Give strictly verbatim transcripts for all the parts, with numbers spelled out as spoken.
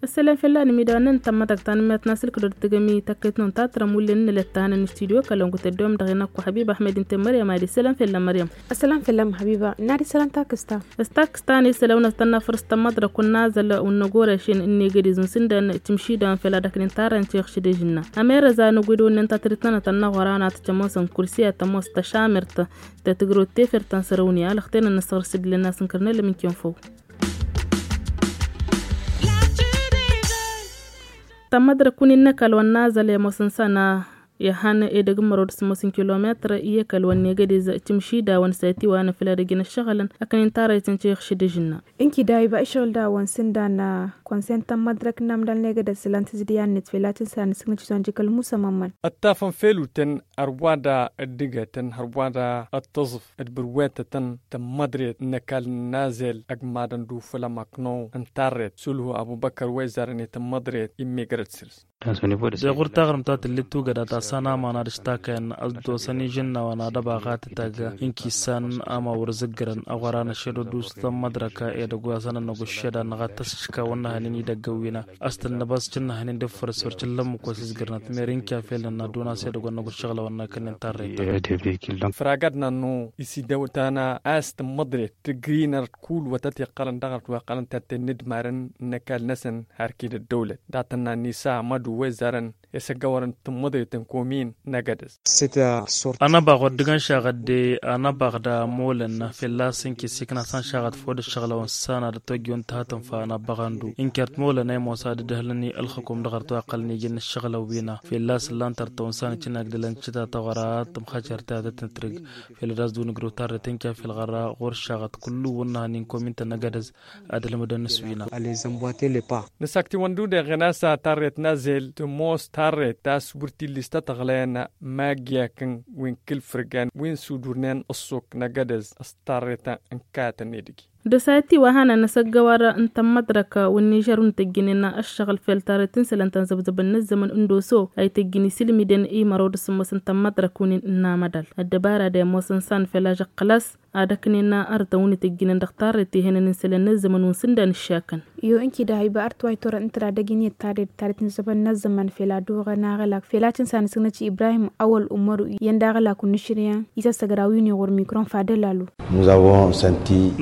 Ăsselam fell-anămidăɣ n-tămmăḍrăk tanămmert n-asǝlkădor tǝgămi tăkkăyt-năwăn tatrăm wullen n-elăt ta hanăn n-studio kălăngu tăddoyăm dăɣ-inăkku ḥăbiba ăhmed n-temmăryăm ad-isălam fell-amăryăm. Ăsselam fell-am ḥăbiba n-ad-isălam takǝsta. S-takǝsta n-isălam n-ad-tănnafăr s-tămmăḍrăk wăr n-azăl wăr năgorăšen n-egădez n-sǝndan timšidăn fell-ad-ăknen tarrăn tiɣšǝdăžna. Ămerăza n-ăgg-wi d-wănnen tatrǝt-nănăt ănnăɣora n-ad-tămoosăn kursi ad-tămoos tăšamert tăt-tǝgrăwăt tefert ta n-sărăwniya alăxtenăn n-ăssăɣrǝs dd-ilăn n-asǝnkărnel ămǝnken făw. Tămmăḍrăk win-innăkal wăr n-azăl i-ămoosăn s-ana ihăn edăgg n-mărod s-ămoosăn kilometăr i-ăkall wăr n-egădez timšidawăn s-ătiwănăn făll-edăgg-in ăššăɣǝlăn ăknen tarrăytăn tiɣšǝdǝžna. Ǝnki dahiba ǝššăɣǝl-dawăn s-ǝndan konsent n-tămmăḍrăk n-amdal n-egădez s-ǝllan tǝzǝdǝya-net fell-ad-tǝnsan ǝsǝgnăt s-ănjǝkăl musa mămmăn. Ăttafăn fel utăn hărwa-da dd-igătăn hărwa-da ăttăẓǝf d-bǝrwetătăn tămmăḍret n-ăkall n-azel ăgg madăn d-ufǝl ămăkno n-tarret sulhu ăbubăkăr wa izarăn i-tămmăḍret immegărăt săr-s. Deɣ ɣur-taɣrǝmt ta tǝllit tugăda ta s-anamăn ad-ǝštakăyăn ăddosăn ižǝnnawăn ad-ăbaɣ ad-tǝtag. Ǝnki issan ama wăr zǝggărăn ăɣora n-ăššedădu s-tămmăḍrăk edăgg wa s-anănnăɣ ăššeda n-ăɣ ad-tăsšǝškawăn n-ehănen idăgg ăwwina. Ăstănnăbas cǝnnăhnen d-efăr s-wăr cǝllăm măkos izgărnăt merin kafel n-ad-duna s-edăgg wa n-năgg uššăɣlăwăn n-akănnen tarrăytăn. Isidew tana a-s tămmăḍret tǝgrinăr d-kull wătăt iqqălăn dăɣ-ărtwa iqqălăn tatten n-idmarăn n-ăkall-năsăn har kid-ăddăwlăt datănna n-isa madu wa izarăn i-săggăwărăn tămmăḍret n-komin n-agădăz. Anăbaɣ wăr dd-găn šaɣăt de anăbaɣ d-amolăn fălla-s ǝnki s-ikna s-anšaɣăt făw d-ǝššăɣlăwăn s-ana d-ătwăjjăwăn tăhătănfa anăbăɣ andu ǝnker timolăn a imosa d-ǝdhǝlăn i-ălxǝkum dăɣ-ărtwa iqqălăn iji n-ǝššăɣlăn wi-năɣ. Fălla-s ǝllan-t ărtăwăn s-anăcǝnag d-ălăncǝta tăɣra tămxăcert i-ad-tăn-tǝtrǝg. Făll-ad-as-dd-win ǝgrǝw tarret ǝnka făll-ɣărra ɣur-šaɣăt kullu wăr n-ehăn inkomintăn n-agădăz ad-ǝlmǝdăn s-wi-năɣ. Nǝsaktiwăn d-udeɣen a-s tarret n-azel tămoos tarret ta s-wăr t-illis tăt-ăɣlăyăn. Maggiyakăn wi n-kǝl-fǝrgan wi n-sudurnen ǝṣṣuk n-agădăz s-tarret n-katăn edăgg. Dăsayăt tiwăhanăn n-asăggăwăr n-tămmăḍrăk wǝnnižăr wǝnnǝtăjjǝnen ăššăɣǝl fel tarret n-isălan ta n-zăbzăbăn n-ăzzămăn n-doso a ităjjǝn isilmiden i-mărod s-ămoosăn tămmăḍrăk wǝnnin n-amădal. Ăddăbara de ămoosăn s-anfel ažăqqăl-as ad-ăknen arătăn wǝnnǝtăjjǝnen dăɣ-tarret ihănen n-isălan n-ăzzămăn wǝnnin s-ǝndan ǝššakăn. Iyo ǝnki dahiba ărtway turăn ǝnta d-adăgg-in i-ăttaded tarret n-ăzzămăn n-ăzzămăn fel ad-uɣăn aɣălak fel ad-tǝnsan ǝsǝgnăt i-ibrahim awăl umăru iyyăn d-aɣălak wǝnnǝšrǝyăn isăssăgra wi n-iɣur mikron fadăl alu.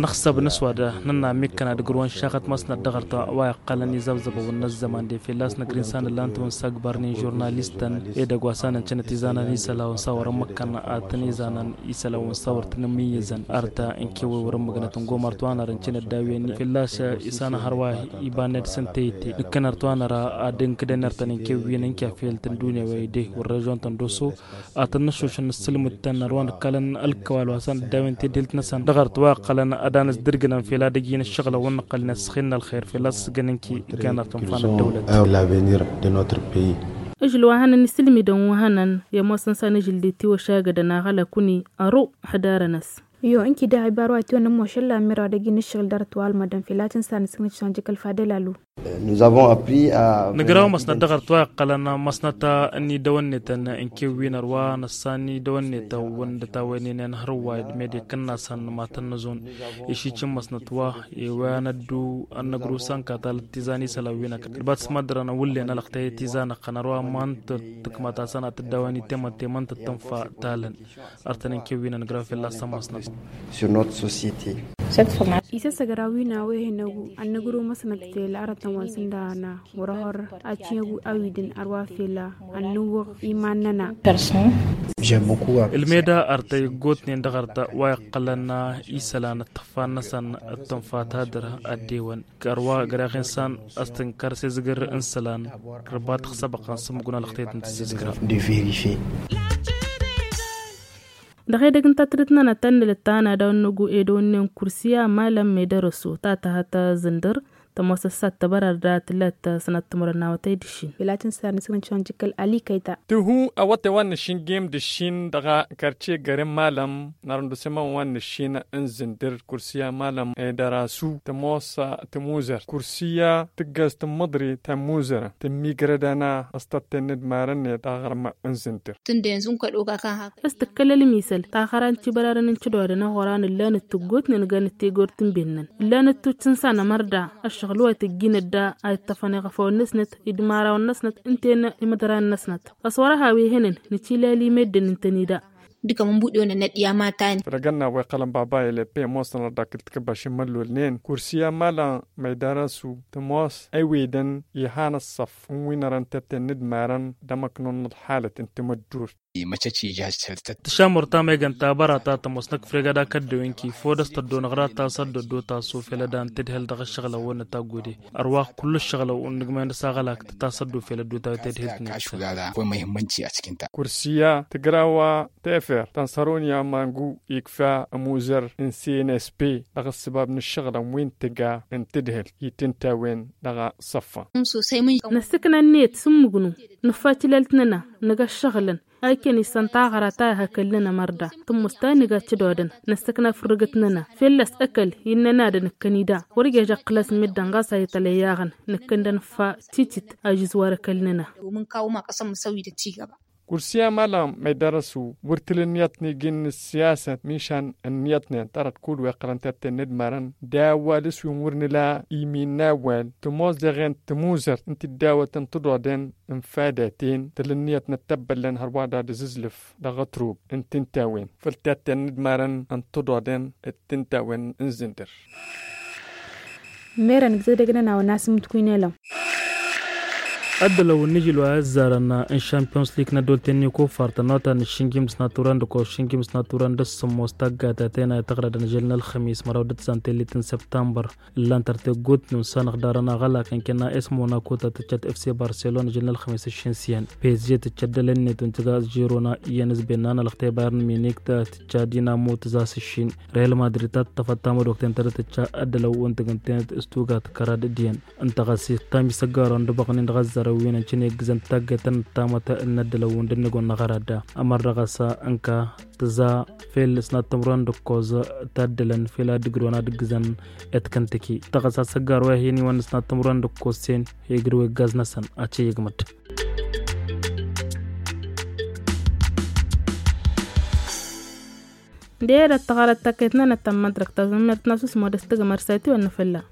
Nǝxsăb nǝswad nǝnna mikkăn ad-ǝgrǝwăn šaɣăt măsnăt dăɣ-ărtăn wa iqqălăn izăbzăbăwăn n-ăzzăman de fălla-s năgr-insan ǝllan-tăn wǝn s-agbărnen žurnalistăn edăgg wa s-anăn cănăt izanăn isălan wǝn s-a wărăn măkkăn ad-tăn-izanăn isălan wǝn s-a wăr tăn-ămmiyyăzăn arta ǝnkew wi wăr-ǝmmǝgnăt ǝngo măr t-wa năr ǝncănăt d-a-wen fălla-s isana hărwa iba-net s-ǝntăyǝtte nǝkkăn ăr t-wa năra ad-ǝnkǝdăn ertăn ǝnkew wi n-ǝnkew făll-tăn dunya wa ede wăr režon-tăn d-oso ad-tăn-năššušăn n-ǝssǝlmǝd-tăn ăr wa nǝkkalăn ălkăwal wa s-anăddawen tedhǝlt-năsăn dăɣ-ărtwa iqqălăn ad-anǝzdǝrgǝnăn fel ad-ǝjǝyăn ǝššăɣǝlăn wăr nǝqqălnen s-ăxin n-ălxer fel ad-sǝsgăn ǝnki ǝggan ărtăn fanăt dăwlăt. Ǝžǝl wa hănăn isǝlmǝdăn wa hănăn i-ămoosăn s-anǝžǝl d-itiwăšagădăn aɣălak wǝnni ăru ǝḥdarăn-as. Iyo ǝnki daɣ ibar wa tiwăn ămošăl la ămmirew ad-ăjǝn ǝššăɣǝl dăr-ătwalmădăn fel ad-tǝnsan asǝgnǝt s-anjǝkăl fadăl alu. Nǝzavon apri a. Nǝgraw măsnăt dăɣ-ărtwa iqqălăn măsnăt n-idăwănnetăn n-kewwin ărwa năssan idăwănnetăn wǝndăt a-wen inen hărwa d-mede kǝnnasăn matăn năzon. Išicǝn măsnăt wa i-wa năddu ănnăgru s-ănka talăt tizan isălan wi n-ăkall kăl-bat s-măddărăn wǝllen ălăxtăyăt tizan ăqqăn ărwa mant tǝkmăt asăn ad-tǝddawăn itemăntemăn tăt-tǝnfa talăn. Ărtăn n-kewwin ăngra fălla-s ămoosnăt. Sur notre société. Isăssăgra wi n-a-wa ih'-năgu ănnăgru măsnăt fel arătăn wa n-sǝnda ana wăr-ăhăr acǝyăgu a-wi dăn ărwa fel ănnǝwwăɣ iman-năna. Ǝlmeda ărtăy ǝggotnen dăɣ-ărtăn wa iqqălăn isălan ăttăxfa-năsăn d-tǝnfa tadǝr ăddewăn. Kărwa găreɣ insan ăstǝnkăr s-ezgǝr n-isălan. Rǝbat xsăbăqăn s-ǝmmǝggun ălxtăyăt n-tǝzzǝzgǝra. Dăɣ-edăgg n-tatrǝt-nănăt ta n-nǝlǝt ta n-ad-awăn-năggu edăwănnen kursiya malăn medărăso ta tăhăt zǝndăr. Tămoos ăssat tăbărăr da tǝllat sănăt timǝrăn n-awătay d-ǝššin. Ilat n-săr n-săr n-căwăn jǝkkăl ali kăyta. Tǝhu awătay wa n-ǝššin gem d-ǝššin dăɣ-kărce gărem malăm n-arăndusămăn wa n-ǝššin n-zǝndǝr. Kursǝya malăm edărasu tămoos tămuzăr kursǝya tǝggăz tǝmmăḍri tămuzăr tǝmmigrădăn a s-tătten n-idmarăn-net aɣrǝm n-zǝndǝr. Tǝndăyăn zǝnkăd oga kan hak. S-tǝkkăl ălmisăl taxăra n-tibărarăn n-tǝdodăn a ɣuran ǝllan-dd tǝggutnen gan dd-tegor tǝnben-năn ǝllan-dd tutt n-san ămărda ăššăɣǝl wa tǝjjin ădda a iṭṭăfăn iɣăfawăn-năsnăt idmarawăn-năsnăt ǝnta-en imǝḍran-năsnăt. Ăswăr-ăha wi hănen nǝtilali meddǝn ǝntăn-i da. Dǝkăm n-buɗe-wăn ănăt i-amatani. Făll-agănna wa iqqălăn baba elăppe ămoosăn ărdakǝl tikǝbbaš n-imăllolnen kursi amalăn măydar ăsu tămoos ăywedăn ihan ăṣṣăf n-wi n-ărăn tetten n-idmarăn d-amăknun n-ălxalăt n-timǝddurt. Tǝšamur ta megăn tabăra ta tămoos năkk frega d-akăddew inki fodăs tăddo năɣra ta s-ăddoddot a-s ufelăd a n-tǝdhǝl dăɣ-ǝššăɣǝlăwăn n-taggode. Ărwax kull ǝššăɣǝlăw n-nǝgmăyăn dăɣ-s aɣălak ta s-ăddo ufelăd d-utawi tedhǝlt-net. Kursiya tǝgrawa tefer ta n-săroni amangu ikfa ămuzăr n-cnsp dăɣ-ǝssǝbab n-ǝššăɣǝlăn wi n-tǝga n-tǝdhǝlt i-tǝnta-wen dăɣ-săffa. Năssǝkna ǝnniyăt s-ǝmmǝgnu nǝffa tilalt-nănăɣ nǝga ǝššăɣǝlăn a ikken issăn taɣăra ta ihakăl-nănăɣ mărda tǝmmǝs ta nǝga tǝdodăn năssăkna fǝrrǝgăt-nănăɣ fălla-s ăkall innăn ad-ănǝkkăn-i da wăr ija ǝqqǝl-as meddǝn ɣas a itălăy aɣăn nǝkkăn d-anǝffa titit a žǝzwar ăkall-nănăɣ. Kursi amalăn măydar ăsu wăr tǝl ǝnniyăt n-iji n-ǝssiyasăt mišan ǝnniyătnen tarăt kull wa iqqălăn tetten n-idmarăn d-awal s-wi n-wăr nǝla imin n-awal tămoos deɣen tămuzărt n-tiddawăt n-tǝḍoḍen n-fadăten tǝl ǝnniyăt n-ăttăbbăllăn hărwa d-ad-ǝzǝzlǝf dăɣ-ătrub n-tǝnta-wen făll-tetten n-idmarăn n-tǝḍoḍen d-tǝnta-wen n-zǝndǝr. Merăn ǝgzădăg-nănăɣ wa n-asǝmmǝtkuy n-elăm. Ăddălăw n-nǝžǝl wa ăzzarăn n-šampions lig n-ăddolt n-ikuffar tănnotan n-ašǝnjǝm d-asnatturăn d-ăkkoẓ šǝnjǝm d-asnatturăn d-asǝmmos taggatatena i-tăɣrădăn žăl n-ălxămis măraw d-ǝtẓan tellit n-săptămbăr. Ǝllan tărteggut n-unsanăɣ darăn aɣălak ǝnkănna s-monako ta tǝccăt fc barselon žăl n-ălxămis ǝššǝn s-iyyăn pezže tǝccăt dăl-net untiga s-žirona iyyăn s-bennan ălxte bayern minik ta tǝcca dinamo tǝzas ǝššin. Real madrid ta tǝṭṭăfăt tamădokten ta dăr-tǝcca ăddălăw untiga ǝntenet s-tugat kărad d-iyyăn. Ǝnta ɣas ittam isăggarăn d-abăɣnen dăɣ-ăzzarăn wi n-ăncăn eggǝzăn taggătăn ǝttamăt n-ăddălăw wi n-dănnăgon n-aɣăra da. Ămăr dăɣ-s ănka tǝza fel s-nattămrăn d-ǝkkoẓ taddălăn fel ad-ǝgrǝwăn ad-ǝggǝzăn. Etkăntǝki tăɣăs asăggar wa hin-iwăn s-nattămrăn d-ǝkkoẓ-sen. Egǝrǝw eggaz-năsăn ad-t-iyyăgmăd. D-e-dăɣ tăɣărăt tăkket-nănăɣ ta n-mădrăk tazǝmmert n-asus modăs tǝgmăr s-ătiwăn n-afălla.